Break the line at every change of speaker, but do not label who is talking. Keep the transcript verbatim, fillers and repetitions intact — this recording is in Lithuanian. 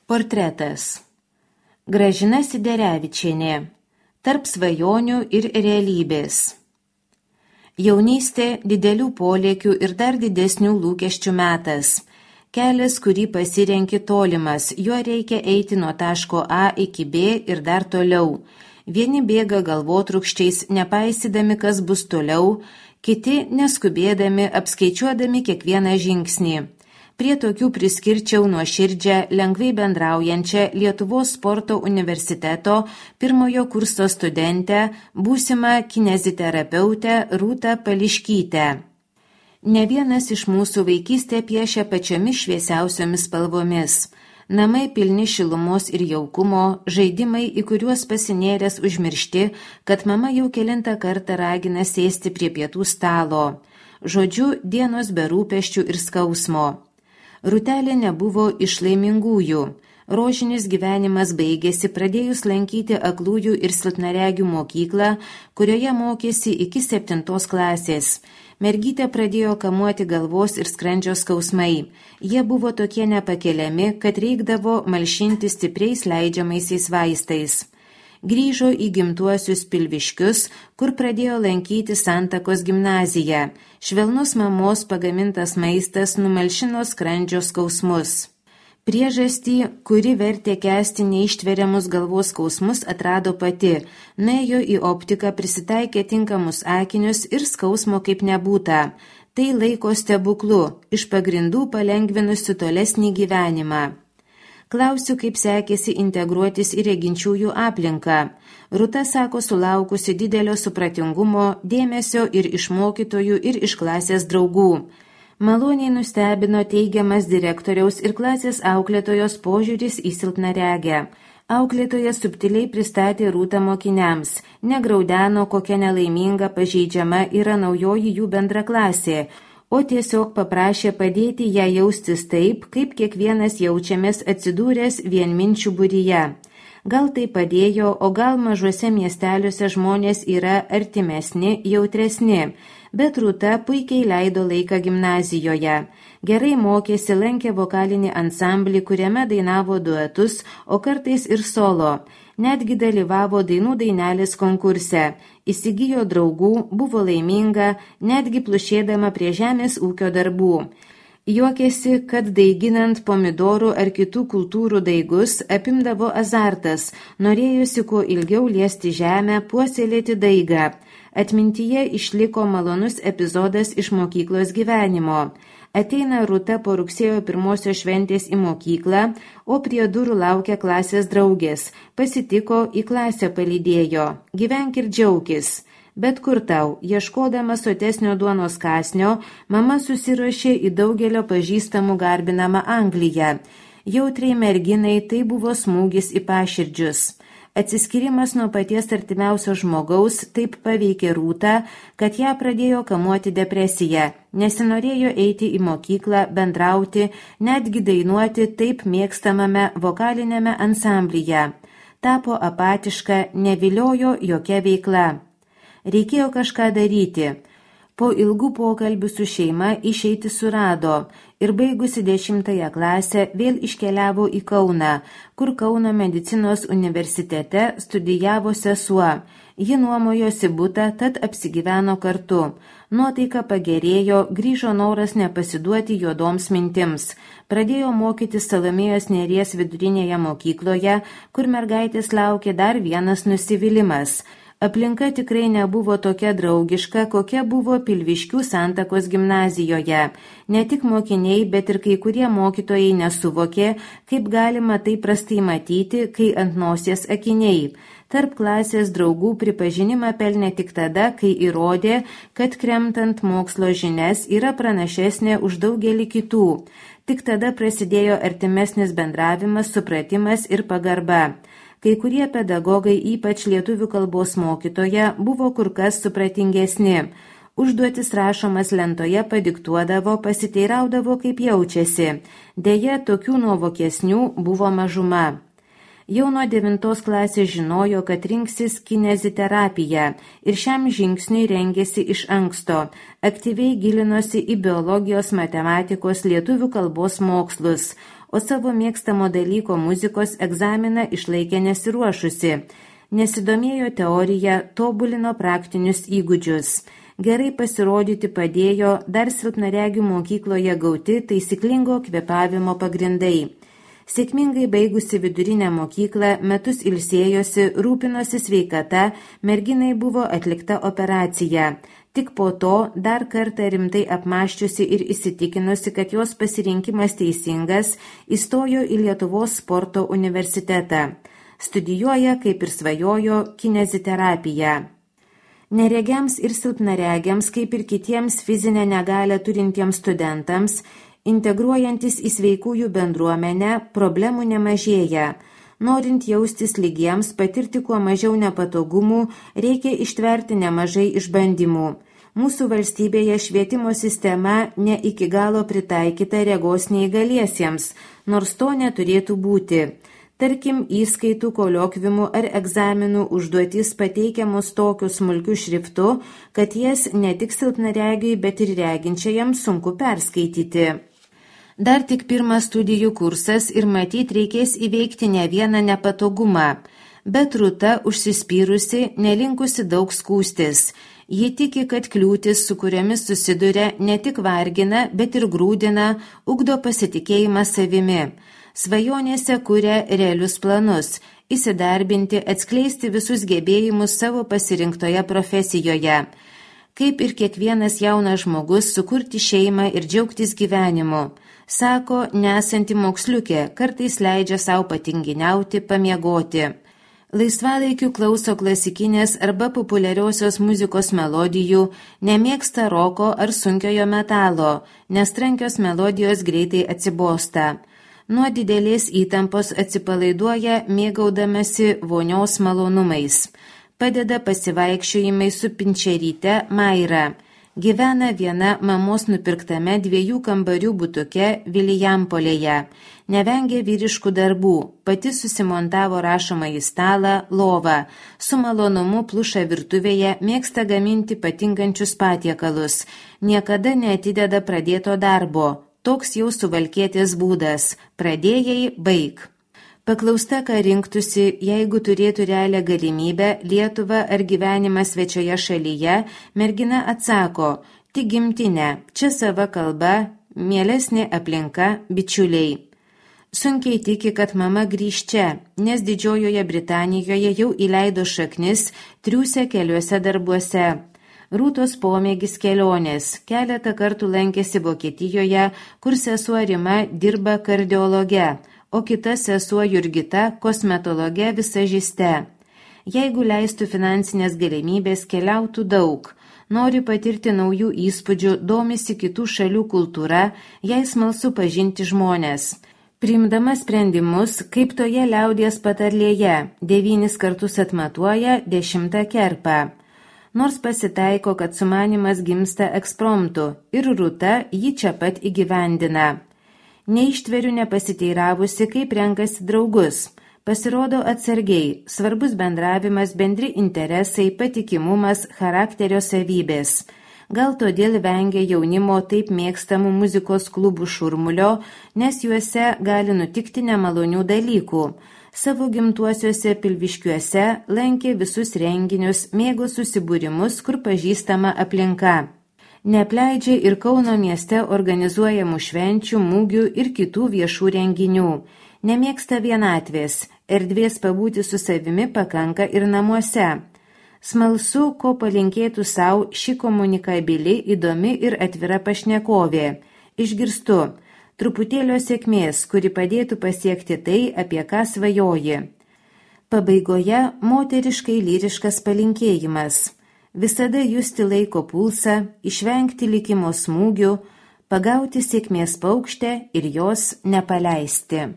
Portretas. Gražina Siderevičienė. Tarp svajonių ir realybės. Jaunystė didelių polėkių ir dar didesnių lūkesčių metas. Kelias, kurį pasirenki tolimas, juo reikia eiti nuo taško A iki B ir dar toliau. Vieni bėga galvotrūkščiais, nepaisydami, kas bus toliau, kiti neskubėdami, apskaičiuodami kiekvieną žingsnį. Prie tokių priskirčiau nuoširdžią, lengvai bendraujančią Lietuvos sporto universiteto pirmojo kurso studentę, būsimą kineziterapeutę Rūtą Pališkytę. Ne vienas iš mūsų vaikystę piešia pačiomis šviesiausiomis spalvomis. Namai pilni šilumos ir jaukumo, žaidimai, į kuriuos pasinėręs užmiršti, kad mama jau kelintą kartą ragina sėsti prie pietų stalo. Žodžiu, dienos be rūpesčių ir skausmo. Rūtelė nebuvo iš laimingųjų. Rožinis gyvenimas baigėsi pradėjus lankyti aklųjų ir silpnaregių mokyklą, kurioje mokėsi iki septintos klasės. Mergytę pradėjo kamuoti galvos ir skrandžio skausmai. Jie buvo tokie nepakeliami, kad reikdavo malšinti stipriais leidžiamaisiais vaistais. Grįžo į gimtuosius Pilviškius, kur pradėjo lankyti Santakos gimnaziją. Švelnus mamos pagamintas maistas numalšino skrandžio skausmus. Priežastį, kuri vertė kęsti neištveriamus galvos skausmus, atrado pati. Nuėjo į optiką, prisitaikė tinkamus akinius ir skausmo kaip nebūta. Tai laiko stebuklu, iš pagrindų palengvinusi tolesnį gyvenimą. Klausiu, kaip sekėsi integruotis į reginčiųjų aplinką. Rūta sako sulaukusi didelio supratingumo, dėmesio ir iš mokytojų, ir iš klasės draugų. Maloniai nustebino teigiamas direktoriaus ir klasės auklėtojos požiūris į silpnaregę. Auklėtoja subtiliai pristatė Rūtą mokiniams, negraudeno, kokia nelaiminga pažeidžiama yra naujoji jų bendraklasė, o tiesiog paprašė padėti ją jaustis taip, kaip kiekvienas jaučiamės atsidūręs vienminčių būryje. Gal tai padėjo, o gal mažuose miesteliuose žmonės yra artimesni, jautresni, bet Rūta puikiai leido laiką gimnazijoje. Gerai mokėsi, lankė vokalinį ansamblį, kuriame dainavo duetus, o kartais ir solo. Netgi dalyvavo dainų dainelės konkurse. Įsigijo draugų, buvo laiminga, netgi plušėdama prie žemės ūkio darbų. Juokėsi, kad daiginant pomidorų ar kitų kultūrų daigus apimdavo azartas, norėjusi kuo ilgiau liesti žemę, puoselėti daigą. Atmintyje išliko malonus epizodas iš mokyklos gyvenimo. Ateina Rūta po rugsėjo pirmosios šventės į mokyklą, o prie durų laukia klasės draugės. Pasitiko, į klasę palydėjo. Gyvenk ir džiaukis. Bet kur tau, ieškodama sotesnio duonos kąsnio, mama susiruošė į daugelio pažįstamų garbinamą Angliją. Jautriai merginai tai buvo smūgis į paširdžius. Atsiskyrimas nuo paties artimiausio žmogaus taip paveikė Rūtą, kad ją pradėjo kamuoti depresija. Nesinorėjo eiti į mokyklą, bendrauti, netgi dainuoti taip mėgstamame vokalinėme ansamblyje. Tapo apatiška, neviliojo jokia veikla. Reikėjo kažką daryti. Po ilgų pokalbių su šeima išeiti surado ir baigusi dešimtąją klasę vėl iškeliavo į Kauną, kur Kauno medicinos universitete studijavo sesuo. Ji nuomojosi butą, tad apsigyveno kartu. Nuotaika pagerėjo, grįžo noras nepasiduoti juodoms mintims. Pradėjo mokyti Salomėjos Nėries vidurinėje mokykloje, kur mergaitės laukė dar vienas nusivylimas. Aplinka tikrai nebuvo tokia draugiška, kokia buvo Pilviškių Santakos gimnazijoje. Ne tik mokiniai, bet ir kai kurie mokytojai nesuvokė, kaip galima tai prastai matyti, kai ant nosies akiniai. Tarp klasės draugų pripažinimą pelnė tik tada, kai įrodė, kad kremtant mokslo žinias yra pranašesnė už daugelį kitų. Tik tada prasidėjo artimesnis bendravimas, supratimas ir pagarba. Kai kurie pedagogai, ypač lietuvių kalbos mokytoja, buvo kur kas supratingesni. Užduotis rašomas lentoje padiktuodavo, pasiteiraudavo, kaip jaučiasi. Deja, tokių nuovokesnių buvo mažuma. Jau nuo devintos klasės žinojo, kad rinksis kineziterapiją ir šiam žingsniui rengėsi iš anksto. Aktyviai gilinosi į biologijos, matematikos, lietuvių kalbos mokslus, o savo mėgstamo dalyko muzikos egzaminą išlaikė nesiruošusi. Nesidomėjo teorija, tobulino praktinius įgūdžius. Gerai pasirodyti padėjo dar silpnaregių mokykloje gauti taisyklingo kvėpavimo pagrindai. Sėkmingai baigusi vidurinę mokyklą, metus ilsėjosi, rūpinosi sveikata, merginai buvo atlikta operacija. Tik po to dar kartą rimtai apmąsčiusi ir įsitikinusi, kad jos pasirinkimas teisingas, įstojo į Lietuvos sporto universitetą. Studijuoja, kaip ir svajojo, kineziterapiją. Neregiams ir silpnaregiams, kaip ir kitiems fizinę negalią turintiems studentams, integruojantis į sveikųjų bendruomenę, problemų nemažėja. Norint jaustis lygiems, patirti kuo mažiau nepatogumų, reikia ištverti nemažai išbandymų. Mūsų valstybėje švietimo sistema ne iki galo pritaikyta regos neįgaliesiems, nors to neturėtų būti. Tarkim, įskaitų, koliokvimų ar egzaminų užduotys pateikiamos tokiu smulkiu šriftu, kad jas ne tik silpnaregiui, bet ir reginčiajam sunku perskaityti. Dar tik pirmas studijų kursas ir matyt reikės įveikti ne vieną nepatogumą. Bet Rūta užsispyrusi, nelinkusi daug skūstis. Ji tiki, kad kliūtis, su kuriomis susiduria, ne tik vargina, bet ir grūdina, ugdo pasitikėjimą savimi. Svajonėse kuria realius planus – įsidarbinti, atskleisti visus gebėjimus savo pasirinktoje profesijoje. Kaip ir kiekvienas jaunas žmogus, sukurti šeimą ir džiaugtis gyvenimu. Sako, nesanti moksliukė, kartais leidžia savo patinginiauti, pamiegoti. Laisvalaikiu klauso klasikinės arba populiariosios muzikos melodijų, nemėgsta roko ar sunkiojo metalo, nes trankios melodijos greitai atsibosta. Nuo didelės įtampos atsipalaiduoja mėgaudamasi vonios malonumais. Padeda pasivaikščiojimai su pinčeryte Maira. Gyvena viena mamos nupirktame dviejų kambarių butuke Vilijampolėje. Nevengia vyriškų darbų. Pati susimontavo rašomąjį stalą, lovą. Su malonumu pluša virtuvėje, mėgsta gaminti patinkančius patiekalus. Niekada neatideda pradėto darbo. Toks jau suvalkietės būdas. Pradėjai, baig. Paklausta, ką rinktųsi, jeigu turėtų realią galimybę Lietuvą ar gyvenimą svečioje šalyje, mergina atsako, tik gimtinė, čia sava kalba, mielesnė aplinka, bičiuliai. Sunkiai tiki, kad mama grįž čia, nes Didžiojoje Britanijoje jau įleido šaknis, triūsia keliuose darbuose. Rūtos pomėgis kelionės. Keletą kartų lankėsi Vokietijoje, kur sesuo Rima dirba kardiologe, o kita sesuo Jurgita kosmetologe visažiste. Jeigu leistų finansinės galimybės, keliautų daug. Nori patirti naujų įspūdžių, domisi kitų šalių kultūra, jai smalsu pažinti žmonės. Priimdama sprendimus, kaip toje liaudies patarlėje, devynis kartus atmatuoja, dešimtą kerpa. Nors pasitaiko, kad sumanimas gimsta ekspromtu ir Rūta jį čia pat įgyvendina. Neištveriu nepasiteiravusi, kaip renkasi draugus. Pasirodo atsargiai, svarbus bendravimas, bendri interesai, patikimumas, charakterio savybės. Gal todėl vengia jaunimo taip mėgstamų muzikos klubų šurmulio, nes juose gali nutikti nemalonių dalykų. Savo gimtuosiuose Pilviškiuose lankė visus renginius, mėgo susibūrimus, kur pažįstama aplinka. Neapleidžia ir Kauno mieste organizuojamų švenčių, mūgių ir kitų viešų renginių. Nemėgsta vienatvės, erdvės pabūti su savimi pakanka ir namuose. Smalsu, ko palinkėtų savo ši komunikabili, įdomi ir atvira pašnekovė. Išgirstu. Truputėlio sėkmės, kuri padėtų pasiekti tai, apie ką svajoji. Pabaigoje moteriškai lyriškas palinkėjimas. Visada justi laiko pulsą, išvengti likimo smūgių, pagauti sėkmės paukštę ir jos nepaleisti.